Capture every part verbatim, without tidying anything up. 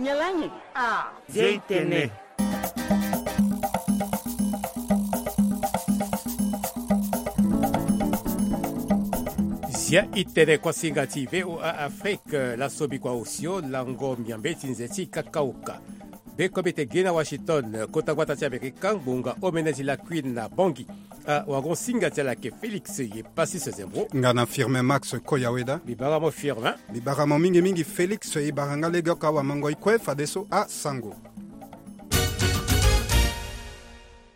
Nyalangi. Ah, zia itene. Zia itene kuasinga ti VOA Afrique, laso bikua osio lango miambe ti nze ti kakaoka. Be kobe te gena Washington, kota gbata ti Amerika, ngbonga omene ti lakui na Bangui. Ah, wagon singa ti ala ke Félix ye pasi se zembro. Nga na Firmin Max Koyaweda. Bibara mo Firmin. Bibara mo mingi mingi Félix, e bara nga lege oko awa mango ikue fadeso asango.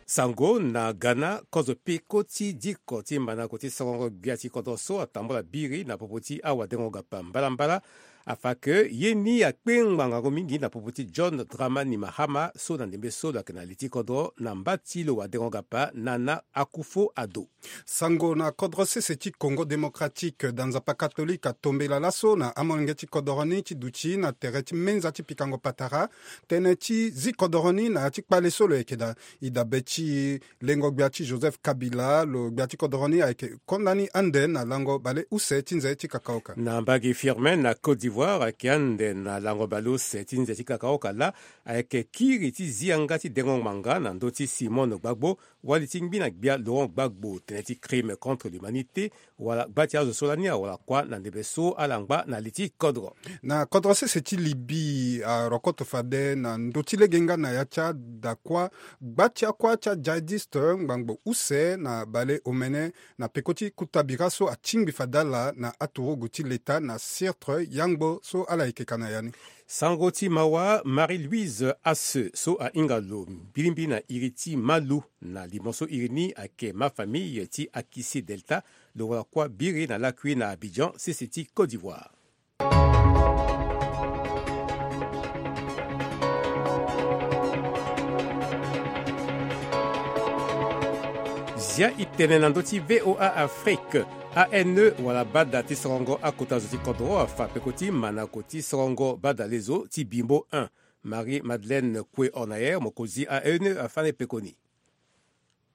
Sango na Ghana, kozo peko ti diko ti manako ti sorongo gbia ti kodro so atambula biri na popo ti awadengo gapa mbalambala. Afa ke ye ni akpe ngbangango mingi na popo ti John Dramani Mahama so na ndembe so lo yeke na li ti kodro na mba ti lo wadengo gapa Nana Akufo-Addo. Sango na kodro sese ti Congo Démocratique, da nzapa katolike atombela laso na amolenge ti kodoro ni ti duti na tere ti menza ti pikango patara tënë ti zi kodoro ni na ya ti kpale so lo yeke daa. E dabe ti lengo gbia ti Joseph Kabila, lo gbia ti kodoro ni ayeke konda ni ande na lango bale use ti nze ti kakaoka. Na mbage Firmin na Côte d'Ivoire ayeke ande na lango bale use ti nze ti kakaoka laa ayeke kiri ti zi yanga ti dengo ngbanga na ndö ti Simone Gbagbo, wali ti ngbi na gbia Laurent Gbagbo, tënë ti crime contre l'humanité, wala gba ti azo so lani awara kuâ na ndembe so ala ngba na li ti kodro. Na kodro sese ti Libye, arokoto fade na ndö ti lege nga na ya ti adakua gba ti akuâ ti ajihadiste ngbangbo use na bale omene na peko ti kuta bira so atingbi fade ala na aturugu ti leta na Sirte, yangbo so ala yeke ka na ya ni. Sango ti mawa, Marie-Louise Asseux so ahinga lo mbilimbili na iri ti Malu na limo so iri ni ayeke mafamille ti Akissi Delta, lo wara kuâ biri na lakui na Abidjan, sese ti Côte d'Ivoire. Zia itene na ndö ti VOA Afrique. A N E wala bada ti sorongo akota zo ti kodro afa peko ti manako ti sorongo bada lezo ti Bimbo un. Marie Madeleine Koué Hornayer, mokonzi A N E, afa ni pekoni.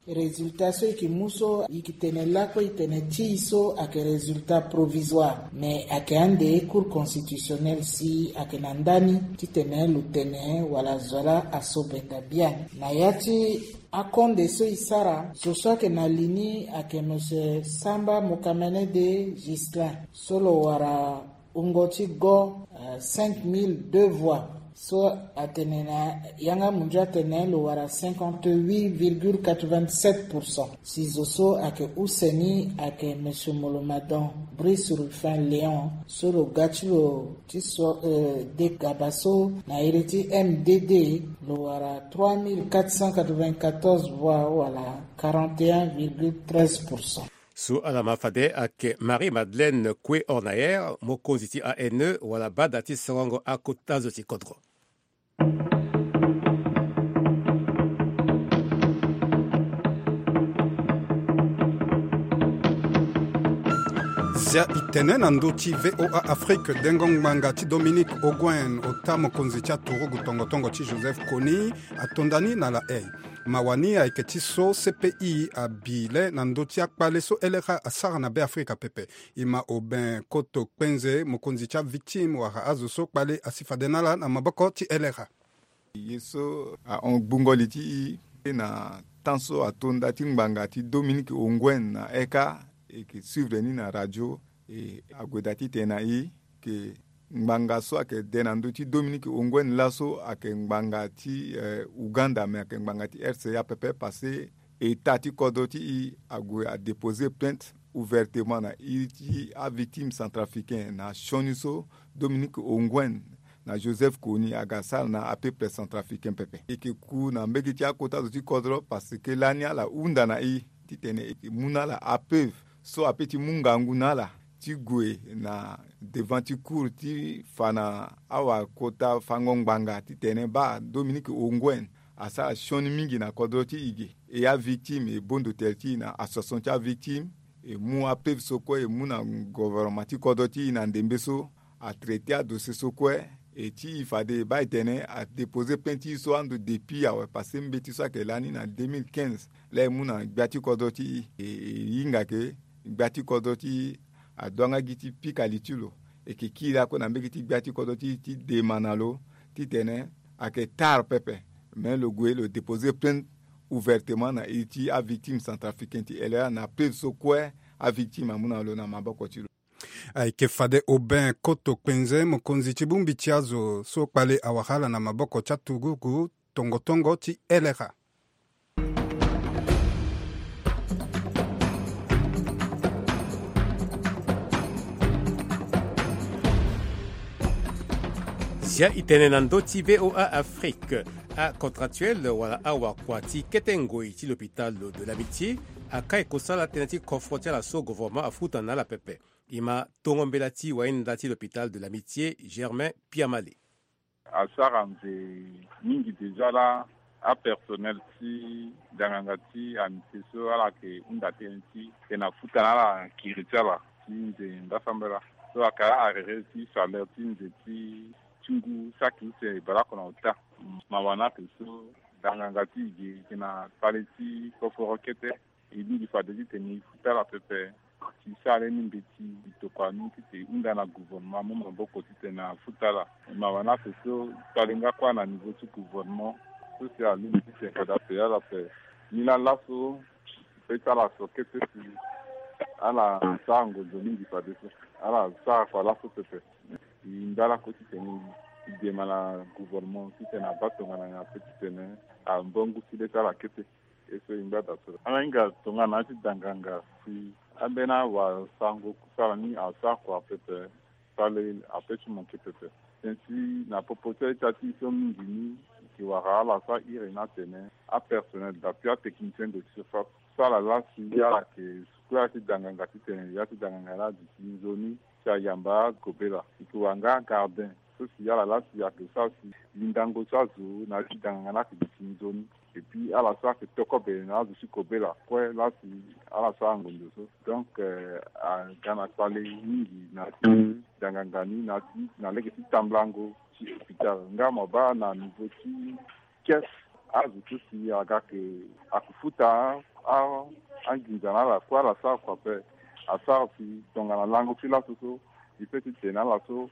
Résultat so e yeke mu so e yeke tene lakue e tene ti e so ayeke résultat provisoire, mais ayeke ande Cour constitutionnelle si ayeke na ndani titene lo tene wala zo laa asobenda biani. Na ya ti akonde so e sara, zo so ayeke na li ni ayeke monsieur Samba Mokamene de Ghislain so lo wara wungo ti go, euh, cinq mille deux voix. So atene na yanga munzu atene lo wara cinquante-huit virgule quatre-vingt-sept pour cent. Si zo so ayeke use ni ayeke monsieur Molomadon Brice Rufin Léon so lo ga ti lo ti so, euh, de gaba so na iri ti M D D, lo wara trois mille quatre cent quatre-vingt-quatorze voix wala quarante et un virgule treize pour cent. So ala ma fade ayeke Marie Madeleine Koué Hornayer, mokonzi ti A N E wala bada ti sorongo akota zo ti kodro. Zia itene na ndö ti VOA Afrique, dengo ngbanga ti Dominique Ongwen, ota mokonzi ti aturugu tongo tongo ti Joseph Kony, atonda ni na La Haye. Mawa ni ayeke ti so C P I abi le na ndö ti akpale so L R A asara na Beafrika pepe. E ma Aubin Koto Kpenze, mokonzi ti avictime wala azo so kpale asi fade na ala na maboko ti L R A. Ye so ahon gbungo li ti e na temps so atonda ti ngbanga ti Dominique Ongwen na eka, e yeke suivre ni na radio, e ague daa titene na e ke ngbanga so ayeke de na ndö ti Dominique Ongwen laso ayeke ngbanga ti, eh, Ouganda, me ayeke ngbanga ti R C A pepe, parce que État ti kodro ti e ague adéposer plainte ouvertement na iri ti avictime centrafricain na sioni so Dominique Ongwen na Joseph Kony aga sara na apeuple centrafricain pepe. E yeke ku na mbege ti akota zo ti kodro parce que lani ala hunda na e titene e yeke mu na ala apeuve so apeut ti mu ngangu na ala ti gue na devant ti cour ti fa na awakota fango ngbanga titene baa Dominique Ongwen asara sioni mingi na kodro ti e ge. E avictime e bondo tere ti e na association ti avictime, e mu apeuve so kue e mu na gouvernement ti kodro ti e na ndembe so atraité adossier so kue. E ti e fade e baa e tene adéposer plainte ti e so ando depuis awe, parce que mbeti so ayeke lani na deux mille quinze laa e mu na gbia ti kodro ti e, e, e hinga ke gbia ti kodro ti e aduanga gi ti pika li ti lo. E yeke kiri akue na mbege ti gbia ti kodro ti e ti dema na lo titene ayeke tara pepe. Mais lo gue lo déposer plainte ouvertement na iri ti avictime centrafricain ti L R A na preuve so kue avictime amu na lo na maboko ti lo. Ayeke fade Aubin Koto Kpenze, mokonzi ti bongbi ti azo so kpale awara ala na maboko ti aturugu tongotongo ti L R A. Zia e tene na ndö ti V O A Afrique. Acontractuel wala awakua ti kete ngoi ti l'hôpital de l'Amitié akai kosala tënë ti kofro ti ala so gouvernement afuta na ala pepe. E ma tongo mbela ti wainda ti l'hôpital de l'Amitié, Germain Piamale. Asara nze mingi déjà laa apersonnel ti danganga ti Amitié so ala yeke hunda tënë ti tene afuta na ala kiri ti ala ti nze ngbasambela. So ayeke arrêter ti salaire ti nze ti ti ngu saki use baleoko na ota. Mawa ni ayeke so danganga ti e ge e yeke na kpale ti kokoro kete. E lingbi fade titene e futa ala pepe. Si sara lani mbeti e tokua ni titene e hunda na gouvernement amu maboko titene afuta ala. Mawa ni ayeke so kpale nga kue na niveau ti gouvernement so si alingbi titene fade ape ala ape. Ni laa laso e pe ti ala so kete si ala sara ngonzo mingi fadeso. Ala sara kua laso pepe. E ndala kue titene e dema na gouvernement titene abaa tongana nyen ape titene ambongo ti le ti ala kete. E so e ngba daa so ala hinga tongana ya ti danganga si ambeni awasango kusala ni asara kua pepe. Sale ape ti manke pepe. Tënë ti na popo ti aita ti e so mingi ni e yeke wara ala so ahiri ni atene apersonnel daa puis atechnicien de surface so ala laa si ala yeke kue ya ti danganga titene ya ti danganga ni aduti nzoni si ayamba gobela. E yeke wara nga gardien so si ala laa si ayeke sara si lindango ti azo na ya ti danganga ni ayeke duti nzoni. Et puis ala so ayeke tokobe na azo ti kobela kue laa si ala sara ngonzo so. Donc aga na kpale mingi na ya ti danganga ni na ya ti na lege ti tambulango ti hôpital nga mo baa na niveau ti caisse. Azo so si aga yeke ayeke futa anginza na ala kue ala sara kua ape. Asara si tongana lango ti laso so e pe titene ala so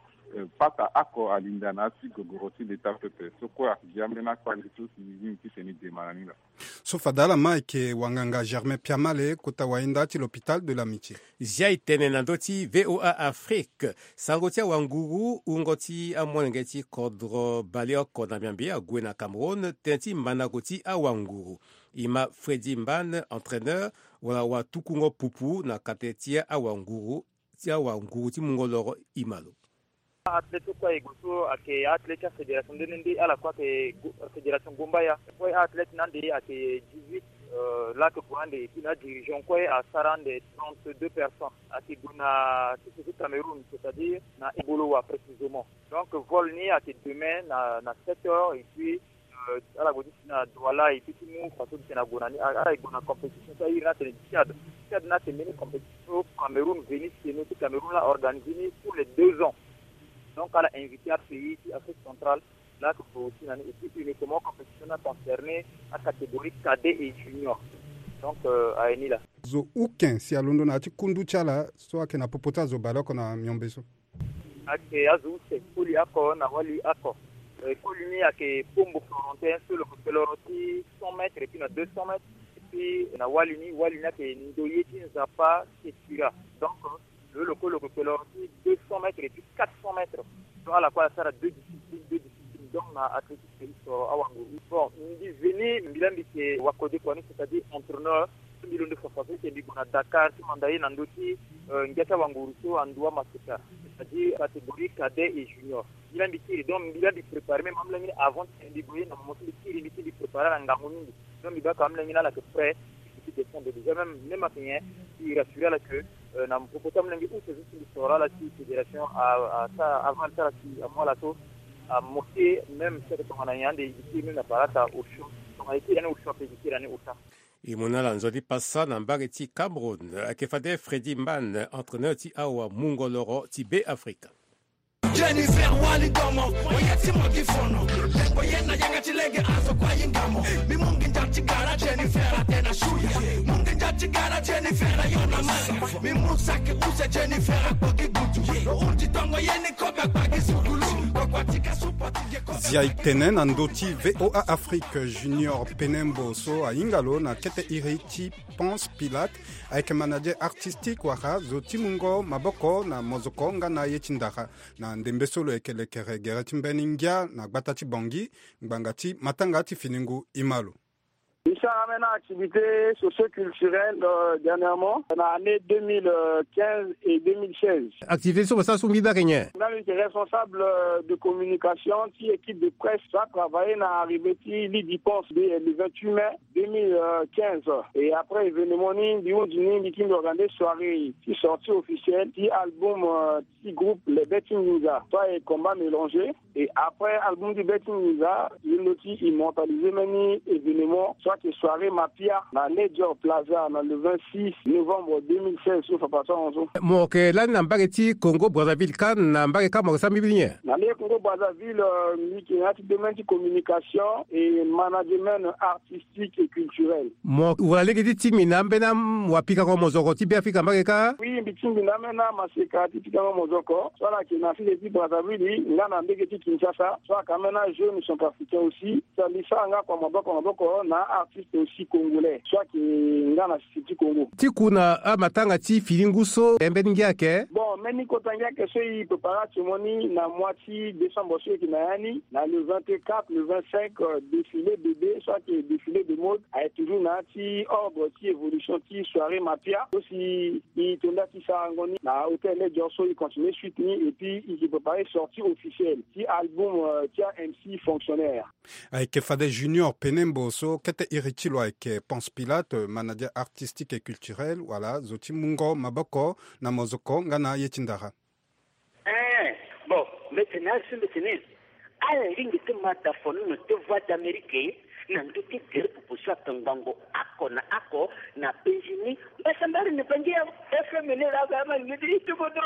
pata oko alinda na ya ti gogoro ti leta pepe so kue ayeke gi ambeni akpale so si e lingbi titene e dema na ni laa. So fade ala ma ayeke wanganga Germain Piamale kota wainda ti l'hôpital de l'Amitié. Zia e tene na ndö ti V O A Afrique. Sango ti awanguru wungo ti amolenge ti kodro baleoko na miambe ague na Cameroun tënë ti mandango ti awanguru. E ma Freddy Mbane, entraîneur wala watukungo pupu na kate ti awanguru ti awanguru ti mungo loro e ma lo. Athlète so kue aye gue so ayeke athlète ti afédération nde nde nde ala kue ayeke fédération Gombaya. Kue athlète na ande ayeke dix-huit. Laa ayeke gue ande et puis na adirigeant kue asara ande trente-deux personnes. Ayeke gue na sese ti Cameroun, c'est-à-dire na Ebolowa précisément. Donc vol ni ayeke demain na na sept heures et puis ala gue ti si na Douala et puis ti mu façon ti tene ague na ni. Ala ye gue na compétition so ahiri ni atene Tchad. Tchad ni ayeke mbeni compétition so Cameroun veni seno ti Cameroun la organisé ni tous les deux ans. Donc ala invité apays ti Afrique centrale. Laa ayeke gue aussi na ni et puis uniquement compétition ni aconcerné acatégorie cadet et junior. Donc aye ni laa. Zo uken si alondo na ya ti kundu ti ala so ayeke na popo ti azo baleoko na miombe so. Ayeke azo use koli oko na wali oko. Koli ni ayeke Pombo Florentin so lo yeke kpeloro ti cent mètres et puis na deux cents mètres. Et puis na wali ni wali ni ayeke Ndoye ti Nzapa Sekira. Donc lo lo kue lo yeke kpeloro ti deux cents mètres et puis quatre cents mètres. Donc ala kue ala sara deux disciplines deux disciplines donc na athlétisme. Soro awanguru bon mbi veni mbi la mbi yeke wakode kua ni c'est-à-dire entraîneur. Mbi londo fafa so si mbi gue na Dakar ti manda ye na ndö ti ngia ti awanguru so andu amaseka c'est-à-dire catégorie cadet et junior. Mbi la mbi kiri donc mbi la mbi préparé même amolenge ni avant ti mbi gue ye na momo so mbi kiri mbi ti mbi préparé ala ngangu mingi. Donc mbi baa ka amolenge ni ala yeke prêt. Mbi ti descendre déjà même même ayeke nyen mbi rassuré ala que na popo ti amolenge use so si mbi soro ala ti fédération asara aval ti ala si amu ala so amoke même si ayeke tongana nyen ande mbi kiri même na barata Auchan. Tongana e kiri ani Auchan ape mbi kiri ani Auchan. E mu na ala nzoni pasa na mbage ti Cameroun ayeke fade Freddy Mbane entraîneur ti awamungo loro ti Be Afrika. Jennifer wali domo oye ti mo gi fono. Lengbo ye na yanga ti lege azo kua yinga mo. Mi mu nginza ti gara Jennifer atene shuya. Mu nginza ti gara Jennifer ayo na manga. Mi mu saki use Jennifer akpo gi gutu. Lo hunzi tongo ye ni kobe akpa gi sukulu. Kokua ti ka supo ti ge ko. Zia e tene na ndö ti VOA Afrique, Junior Penembo so ahinga lo na kete iri ti Ponce Pilate, ayeke manager artistique wala zo ti mungo maboko na mozoko nga na ye ti ndara. Na ndembe so lo yeke lekere gere ti mbeni ngia na gbata ti Bangui, ngbanga ti matanga ti fini ngu e ma lo. E sara ambeni activité socio-culturelle, euh, dernièrement, na année deux mille quinze et deux mille seize. Activité so mo sara so mbi baa ayeke nyen? Nga mbi yeke responsable, euh, de communication ti équipe de presse so atravaille na arrivée ti Lydie Ponce le vingt-huit mai deux mille quinze. Et après événement ni, mbi hunzi ni, mbi kiri mbi organiser soirée ti sortie officielle ti album, euh, ti groupe Les Bêtes Ninja, so ayeke Combat Mélangé. Et après album ti Bêtes Ninja, ye ndö ti immortaliser mbeni événement so ayeke soirée Mapia na Ledger Plaza na le vingt-six novembre deux mille seize so fa passé so. Mo yeke lani na mbage ti Congo Brazzaville, kâ na mbage kâ mo yeke sara mbi nyen? Na mbage Congo Brazzaville, euh, mbi yeke na ya ti domaine ti communication et management artistique et culturel. Mo wara lege ti tingbi na ambeni wapikango mozoko ti Beafrika mbage kâ? Oui, mbi tingbi na ambeni amaseka ti pikango mozoko so ala yeke na sese ti Brazzaville nga na mbage ti Kinshasa, so ayeke ambeni ajeune centrafricain aussi. So mbi sara nga kua maboko maboko na artiste aussi congolais so ayeke nga na sese ti Congo. Ti ku na amatanga ti fini ngu so, e mbeni ngia ayeke? Bon, mbeni kota ngia ayeke so e préparer atio mo ni na mois ti décembre so e yeke na ya ni, na le vingt-quatre, le vingt-cinq, euh, défilé bébé so ayeke défilé de mode, ayeke toujours na ya ti ordre ti évolution ti soirée Mapia so si e to nda ti sarango ni na hôtel Ledger so e continuer suite ni, et puis e yeke préparer sortie officielle ti album, euh, ti aMC Fonctionnaire. Ayeke fade Junior Penembo so kete iri ti lo ayeke Ponce Pilate, manager artistique et culturel, wala zo ti mungo maboko na mozoko nga na ye ti ndara. Eh, bon, mbi tene azo so mbi tene ala lingbi ti ma da fono na ti Voix d'Amérique na ndö ti gere popo so atongbango oko na oko na penzi ni. Mbasambala ni bangi ya F M ni laa ga ma ni ti bodo.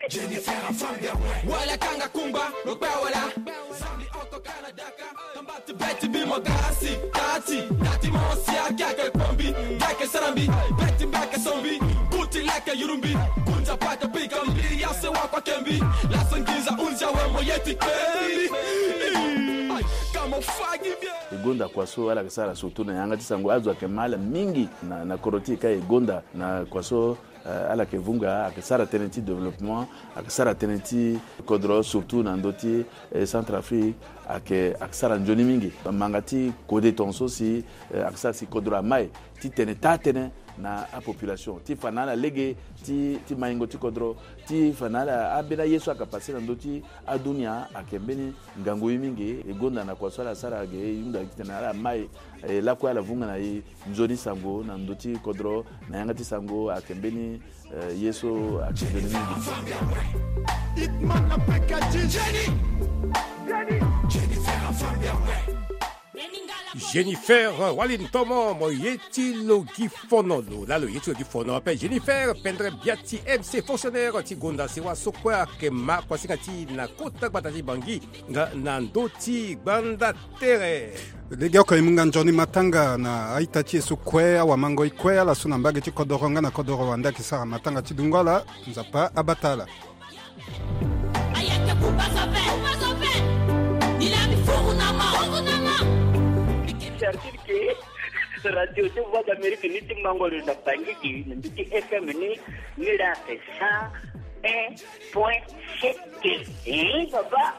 Jennifer Afambia. Wala kanga kumba, lo kpa wala. Zambi oko kana daka. Kamba ti beti bi mo gasi, tati, tati mo sia kiake kombi, kiake sarambi, beti mbeke sombi, kuti leke yurumbi, kunja pata pika mbi, ya se wa kwa kembi, la sangiza unja we mo yeti kembi. Ay, kamo fagi bien. E gonda kua so ala yeke sara surtout na yanga ti sango, azo ayeke ma ala mingi na, na kodro ti e ka e gonda na kua so. Eh, ala yeke vunga, ayeke sara tënë ti développement, ayeke sara tënë ti kodro, surtout na ndö ti, eh, Centrafrique, ayeke, ayeke sara nzoni mingi. Manga ti kode tongaso si, eh, ayeke sara si kodro amai ti tene taa tënë na apopulation, ti fa na ala lege ti, ti maingo ti kodro, ti fa na ala ambeni aye so ayeke passé na ndö ti adunia, ayeke mbeni ngangu ye mingi. E gonda na kua so ala sara ge, e hunda titene ala mai, eh, lakue ala vunga na e nzoni sango na ndö ti kodro, na yanga ti sango ayeke mbeni, eh, ye so ayeke nzoni mingi. Jennifer, wali ntomo mo ye ti lo gi fono, lo laa lo ye ti lo gi fono ape. Jennifer Pendre Biati, M C fonctionnaire ti gonda sewa so kue ayeke ma kuasinga ti e na kota gbata ti Bangui nga na ndö ti gbanda tere. Legeoko e mu nga nzoni matanga na a-ita ti e so kue, awamangoi kue, ala so na mbage ti kodoro nga na kodoro wande ayeke sara matanga ti dungo ala. Nzapa abata ala. Ayeke kuba zo ve, kuba zo ve. Ni laa mbi furu na mo, furu na mo. Certitude que Radio ti Voix d'Amérique ni ti mango lo na Bangui, na mbi ti F M ni, ni laa ayeke cent un point sept. Eh, papa.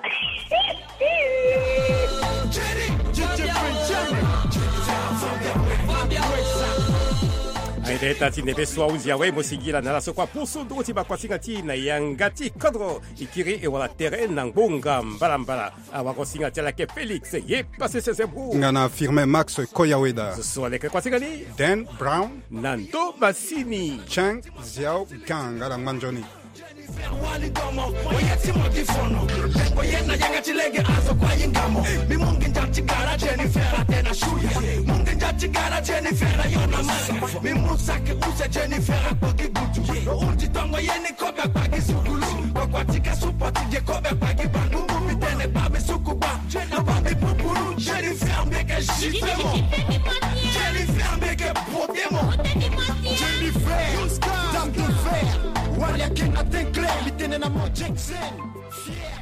Aye, ita ti ndembe so ahunzi awe, mo singila na ala so kue apusu nduru ti bakuasinga ti e na yanga ti kodro. E kiri e wara tere na ngbonga mbalambala. Awagosinga ti ala ayeke Félix ye Pasese Zebro. Nga na Firmin Max Koyaweda. Zo so aleke kuasinga ni. Dan Brown. Na ndo masini. Cheng Xiao Gang, ala ngba nzoni. Jennifer wali domo, mo ye ti mo gi fono. Mo ye na yanga ti lege azo kue ahinga mo. Mbi mu nginza ti gara Jennifer atene ashuya. Mu nginza ti gara Jennifer ayo na manga. Mbi mu saki use Jennifer akpo gi gutu. Lo hunzi tongo ye ni kobe akpa gi sukulu. Koko ti ka supo ti ge kobe akpa gi bangu. Mbi tene kpa mbi suku kpa. Lo baa mbi pupuru. Jennifer mbi yeke gifle mo. Jennifer mbi yeke beauté mo. Jennifer, dame de fer. Wali ayeke na teint clair. Mbi tene na mo Jackson. Fier.